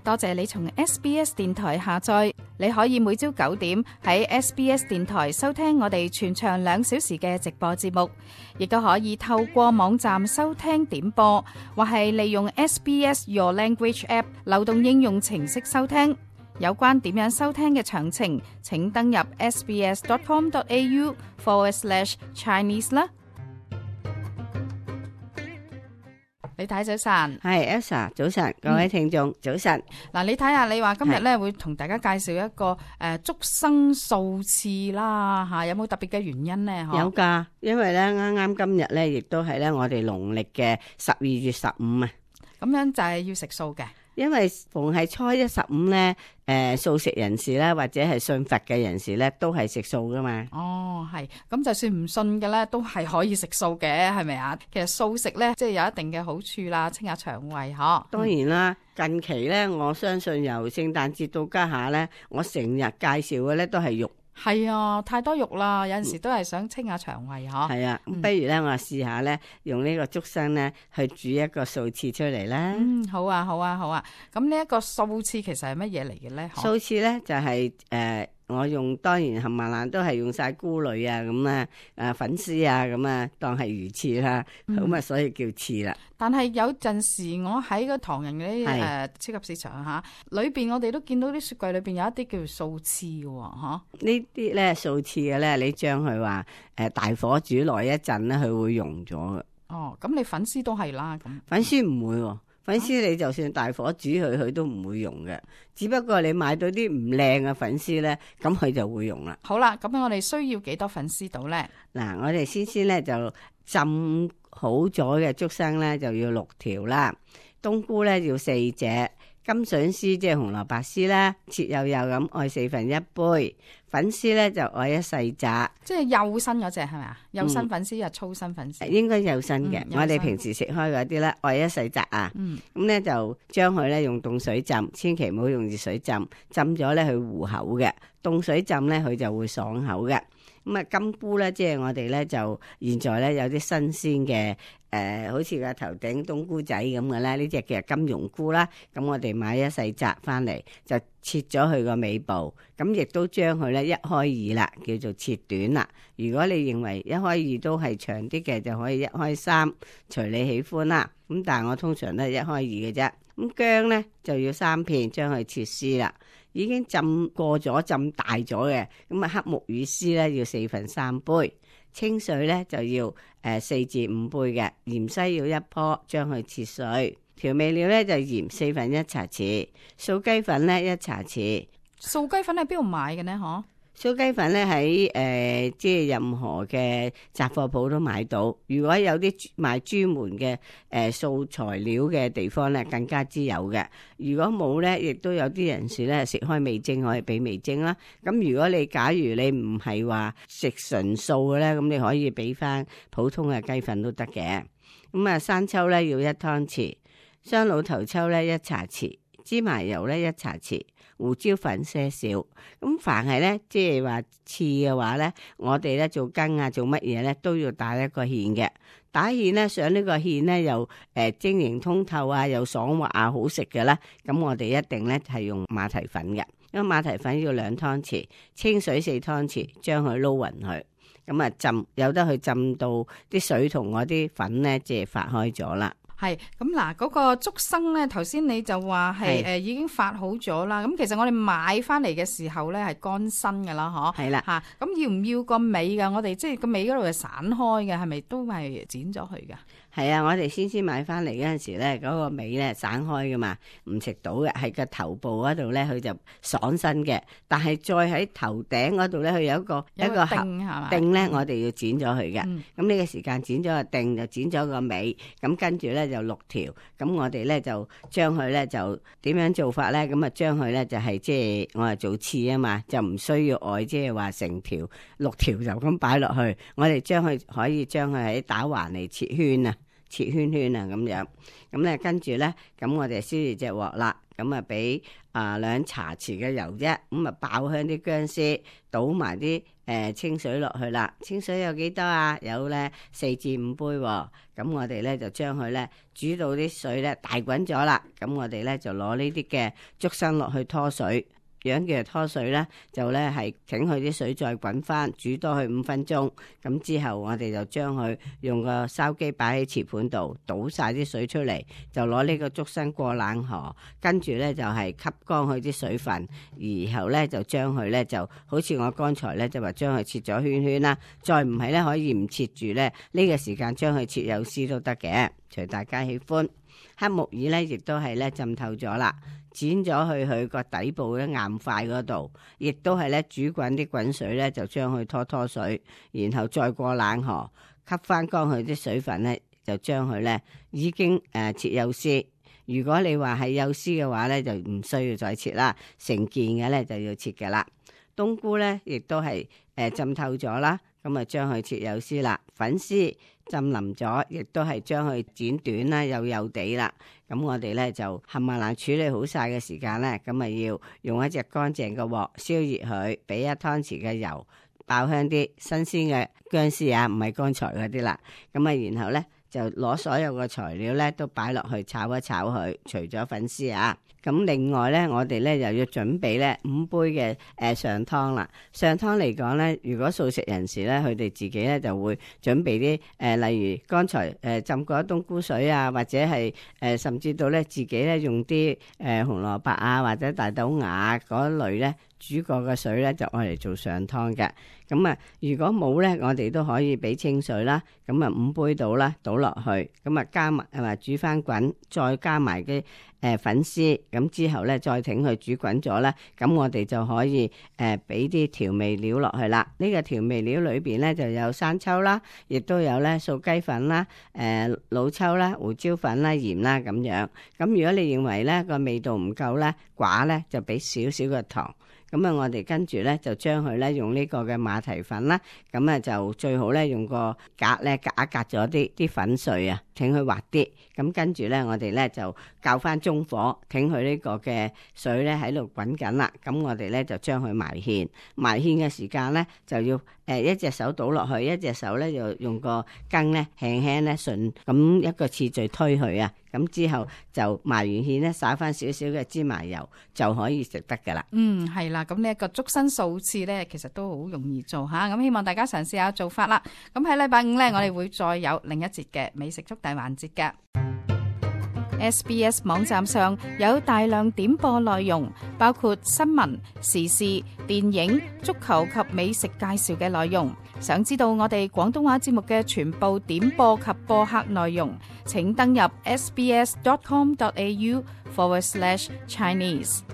多謝你從 SBS 電台下載，你可以每朝9點喺 SBS 電台收聽我哋全長2小時嘅直播節目，亦都可以透過網站收聽點播，或係利用 SBS Your Language App 流動應用程式收聽。有關點樣收聽嘅詳情，請登入 sbs.com.au/Chinese 啦。你睇早晨，係 Elsa， 早晨，各位聽眾，早晨。嗱，你睇下，你話今日咧會同大家介紹一個竹笙掃翅啦，吓，有冇特別嘅原因呢？有噶，因為咧啱啱今日咧，亦都係咧我哋農曆嘅12月15啊。咁樣就係要食素嘅。因為逢係初一15咧，素食人士咧，或者係信佛嘅人士咧，都係食素噶嘛。哦，係，咁就算唔信嘅咧，都係可以食素嘅，係咪啊？其實素食咧，即係有一定嘅好處啦，清下腸胃嗬。當然啦，近期咧，我相信由聖誕節到家下咧，我成日介紹嘅咧都係肉。係啊，太多肉啦，有陣時都係想清下腸胃嗬。係啊，不如咧我試下咧，用呢個竹笙咧去煮一個素翅出嚟啦。好啊，好啊，好啊。咁呢一個素翅其實係乜嘢嚟嘅咧？素翅咧就係我用當然冚唪唥都係用晒菇類啊咁啊，粉絲啊咁啊，當係魚翅啦，咁啊所以叫翅啦。但係有陣時我喺個唐人嗰啲超級市場吓，裏邊我哋都見到啲雪櫃裏邊有一啲叫做素翅嘅吓。呢啲咧素翅嘅咧，你將佢話大火煮耐一陣咧，佢會溶咗嘅。哦，咁你粉絲都係啦，咁粉絲唔會喎。粉絲你就算大火煮佢，佢都唔會溶嘅。只不過你買到啲唔靚嘅粉絲咧，咁佢就會溶啦。好啦，咁我哋需要幾多粉絲到咧？嗱，我哋先咧就浸好咗嘅竹笙咧就要6條啦，冬菇咧要4隻，金筍絲即係紅蘿蔔絲啦，切幼幼咁愛1/4杯，粉絲咧就愛一細紮，即係幼身嗰隻係咪啊？幼身粉絲又粗身粉絲？應該幼身嘅。我哋平時食開嗰啲咧愛一細紮啊。咁咧就將佢咧用凍水浸，千祈唔好用熱水浸，浸咗咧佢糊口嘅，凍水浸咧佢就會爽口嘅。咁啊，金菇咧，即係我哋咧就現在咧有啲新鮮嘅好似個頭頂冬菇仔咁嘅咧，呢隻叫金庸菇啦。咁我哋買一細紮翻嚟，就切咗佢個尾部，咁亦都將佢咧1開2啦，叫做切短啦。如果你認為1開2都係長啲嘅，就可以1開3，隨你喜歡啦。咁但係我通常都係1開2嘅啫。咁薑咧就要3片，將佢切絲啦。已經浸過咗、浸大咗嘅，咁啊黑木魚絲咧要3/4杯，清水咧就要4至5杯嘅，芫茜要1棵，將佢切碎。調味料咧就鹽1/4茶匙，素雞粉咧1茶匙。素雞粉喺邊度買嘅呢？嗬？素雞粉咧喺即係任何嘅雜貨鋪都買到。如果有啲賣專門嘅素材料嘅地方咧，更加之有嘅。如果冇咧，亦都有啲人士咧食開味精，可以俾味精啦。咁如果你假如你唔係話食純素嘅咧，咁你可以俾翻普通嘅雞粉都得嘅。咁啊，生抽咧要1湯匙，雙老頭抽咧1茶匙，芝麻油咧1茶匙。胡椒粉些少，咁凡係咧，即係話翅嘅話咧，我哋咧做羹啊，做乜嘢咧都要打一個芡嘅。打芡咧，上呢個芡咧又晶瑩通透啊，又爽滑啊，好食嘅啦。咁我哋一定咧係用馬蹄粉嘅，因為馬蹄粉要2湯匙，清水4湯匙，將佢撈勻佢。咁啊浸，有得去浸到啲水同嗰啲粉咧，即係發開咗啦。係咁嗱，嗰個竹笙咧，頭先你就話係已經發好咗啦。咁其實我哋買翻嚟嘅時候咧係乾身噶啦，嗬。係啦吓，咁要唔要個尾噶？我哋即係個尾嗰度係散開嘅，係咪都係剪咗佢噶？係啊，我哋先買翻嚟嗰陣時咧，嗰個尾咧散開噶嘛，唔食到嘅。係個頭部嗰度咧，佢就爽身嘅。但係再喺頭頂嗰度咧，佢有一個釘咧，我哋要剪咗佢嘅。咁呢個時間剪咗個釘，就剪咗個尾。咁跟住咧就6條。咁我哋咧就將佢咧就點樣做法咧？咁啊將佢咧就係即係我係做翅啊嘛，就唔需要外即係話成條6條就咁擺落去。我哋可以將佢喺打橫嚟切圈啊。切圈圈啊咁樣。咁咧跟住咧，咁我哋燒熱隻鑊啦，咁啊俾2茶匙嘅油啫，咁啊爆香啲薑絲，倒埋啲清水落去啦。清水有幾多啊？有咧4至5杯喎。咁我哋咧就將佢咧煮到啲水咧大滾咗啦。咁我哋咧就攞呢啲嘅竹笙落去拖水。樣嘅拖水咧，就咧係請佢啲水再滾翻，煮多佢5分鐘。咁之後我哋就將佢用個筲箕擺喺瓷盤度，倒晒啲水出嚟，就攞呢個竹笙過冷河，跟住咧就係吸乾佢啲水分，然後咧就將佢咧就好似我剛才咧就話將佢切咗圈圈啦。再唔係咧可以唔切住咧，呢個時間將佢切幼絲都得嘅，隨大家喜歡。黑木耳咧亦都係咧浸透咗啦。剪咗去佢個底部咧硬塊嗰度，亦都係咧煮滾啲滾水咧，就將佢拖水，然後再過冷河，吸翻乾佢啲水分咧，就將佢咧已經切幼絲。如果你話係幼絲嘅話咧，就唔需要再切啦，成件嘅咧就要切嘅啦。冬菇咧亦都係浸透咗啦，咁啊將佢切幼絲啦。粉絲浸腍咗，亦都係將佢剪短啦，幼地啦。咁我哋咧就冚唪唥處理好晒嘅時間咧，咁啊要用一隻乾淨嘅鑊燒熱佢，俾1湯匙嘅油，爆香啲新鮮嘅薑絲啊，唔係剛才嗰啲啦。咁啊，然後咧就攞所有嘅材料咧都擺落去炒一炒佢，除咗粉絲啊。咁另外咧，我哋咧又要準備咧5杯嘅上湯啦。上湯嚟講咧，如果素食人士咧，佢哋自己咧就會準備啲例如剛才浸過冬菇水啊，或者係甚至到咧自己咧用啲紅蘿蔔啊或者大豆芽嗰類咧煮過嘅水咧，就愛嚟做上湯嘅。咁啊，如果冇咧，我哋都可以俾清水啦。咁啊5杯倒啦，倒落去，咁啊加埋煮翻滾，再加埋啲粉絲。咁之後咧，再挺佢煮滾咗咧，咁我哋就可以俾啲調味料落去啦。呢個調味料裏邊咧就有生抽啦，亦都有咧素雞粉啦、老抽啦、胡椒粉啦、鹽啦咁樣。咁如果你認為咧個味道唔夠咧，寡咧就俾少少嘅糖。咁啊，我哋跟住咧就將佢咧用呢個嘅馬蹄粉啦，咁啊就最好咧用個格咧隔一隔咗啲粉碎啊，挺佢滑啲。咁跟住咧，我哋咧就較翻中火，挺佢呢個嘅水咧喺度滾緊啦。咁我哋咧就將佢埋芡，埋芡嘅時間咧就要一隻手倒落去，一隻手咧就用個羹咧輕輕咧順咁一個次序推佢啊。咁之後就埋完芡咧，灑翻少少嘅芝麻油就可以食得噶啦。係啦，咁呢一個竹笙素翅咧，其實都好容易做吓。咁希望大家嘗試下做法啦。咁喺禮拜5咧，我哋會再有另一節嘅美食速遞環節嘅。SBS 網站上有大量點播內容，包括新聞、時事、電影、足球及美食介紹嘅內容。想知道我哋廣東話節目嘅全部點播及播客內容，請登入sbs.com.au/Chinese。